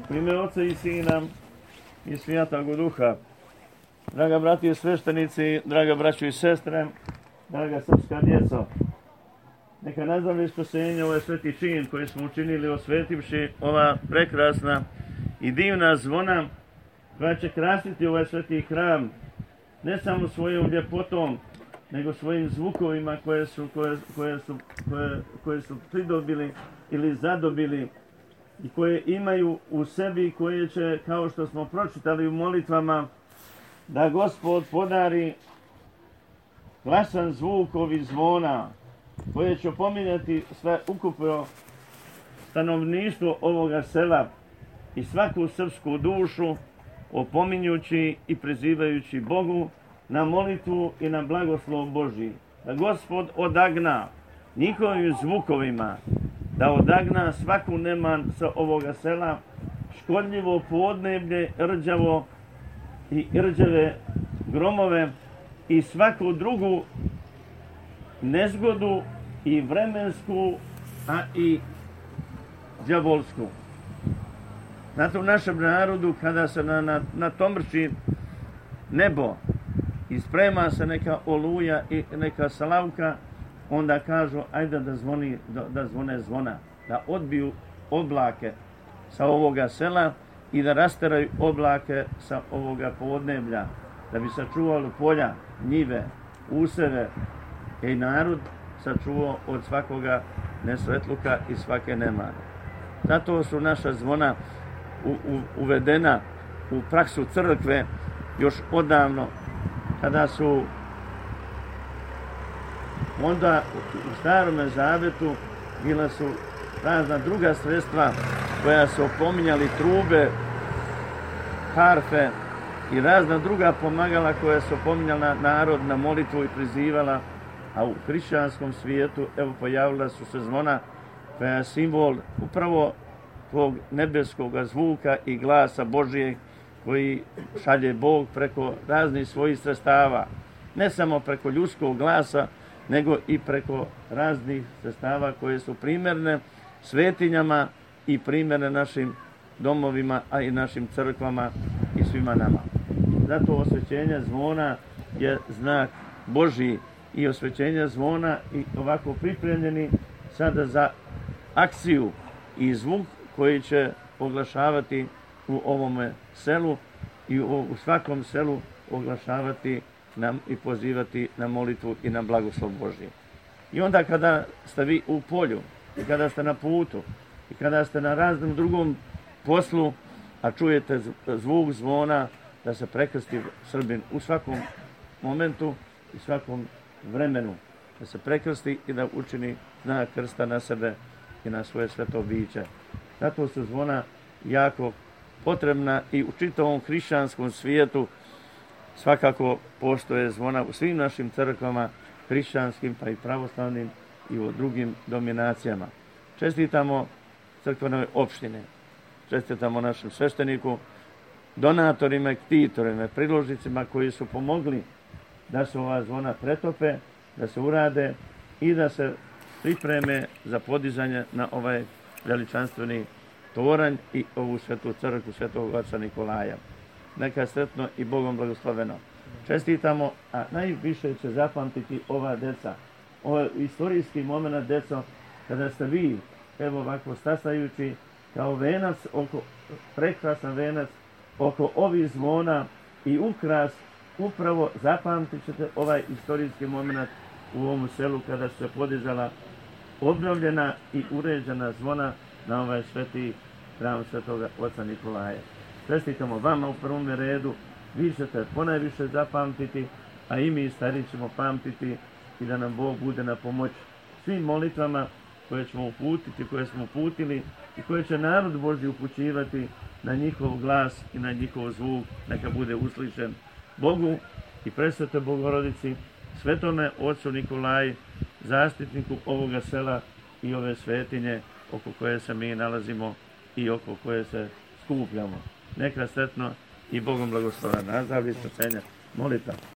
U ime Oca i Sina i Svijatog Duha. Draga brati i sveštenici, draga braćo i sestre, draga srpska djeco, neka nazdravlje spasenje ovaj sveti čin koji smo učinili osvetivši ova prekrasna i divna zvona koja će krasiti ovaj sveti hram ne samo svojom ljepotom, nego svojim zvukovima koje su pridobili ili zadobili i koje imaju u sebi, koje će, kao što smo pročitali u molitvama, da Gospod podari glasan zvuk ovih zvona, koje će opominjati sve ukupno stanovništvo ovoga sela i svaku srpsku dušu, opominjući i prizivajući Bogu na molitvu i na blagoslov Božji. Da Gospod odagna njihovim zvukovima, da odagna svaku neman sa ovoga sela, škodljivo podneblje, rđavo i rđave gromove i svaku drugu nezgodu i vremensku, a i đavolsku. Znate, u našem narodu, kada se natomrči nebo i sprema se neka oluja i neka slavka, onda kažu, ajde da zvone zvona, da odbiju oblake sa ovoga sela i da rasteraju oblake sa ovoga podneblja, da bi sačuvali polja, njive, useve i narod sačuvao od svakoga nesvetluka i svake nemane. Zato su naša zvona uvedena u praksu crkve još odavno, kada su onda u Starome Zavetu bila su razna druga sredstva koja su opominjali, trube, harfe i razna druga pomagala koja su opominjala narod na molitvu i prizivala, a u hrišćanskom svijetu evo pojavila su se zvona koja je simbol upravo tog nebeskog zvuka i glasa Božijeg koji šalje Bog preko raznih svojih sredstava, ne samo preko ljudskog glasa, nego i preko raznih sredstava koje su primjerne svetinjama i primjerne našim domovima, a i našim crkvama i svima nama. Zato osvećenje zvona je znak Božji i osvećenje zvona i ovako pripremljeni sada za akciju i zvuk koji će oglašavati u ovome selu i u svakom selu oglašavati nam i pozivati na molitvu i na blagoslov Božji. I onda kada ste vi u polju, i kada ste na putu, i kada ste na raznom drugom poslu, a čujete zvuk zvona, da se prekrsti Srbin u svakom momentu i svakom vremenu, da se prekrsti i da učini znak krsta na sebe i na svoje sveto biće. Zato su zvona jako potrebna i u čitavom hrišćanskom svijetu. Svakako postoje zvona u svim našim crkvama, hrišćanskim pa i pravoslavnim i u drugim dominacijama. Čestitamo crkvenoj opštine, čestitamo našem svešteniku, donatorima i ktitorima, priložnicima koji su pomogli da se ova zvona pretope, da se urade i da se pripreme za podizanje na ovaj veličanstveni toranj i ovu svetu crkvu svetog oca Nikolaja. Neka sretno i Bogom blagosloveno. Čestitamo, a najviše će zapamtiti ova deca. Ovo je istorijski moment, deco, kada ste vi, evo ovako stasajući kao venac, prekrasan venac, oko ovih zvona i ukras, upravo zapamtit ćete ovaj istorijski moment u ovom selu kada se podizala obnovljena i uređena zvona na ovaj sveti hram svetoga oca Nikolaja. Čestitamo vama u prvom redu, vi ćete ponajviše zapamtiti, a i mi stari ćemo pamtiti i da nam Bog bude na pomoć svim molitvama koje ćemo uputiti, koje smo uputili i koje će narod Božji upućivati na njihov glas i na njihov zvuk, neka bude uslišen Bogu i presvetoj Bogorodici, svetome ocu Nikolaji, zaštitniku ovoga sela i ove svetinje oko koje se mi nalazimo i oko koje se skupljamo. Neka sretno i Bogom blagoslovena. Nazdravlje, spasenja, molitva.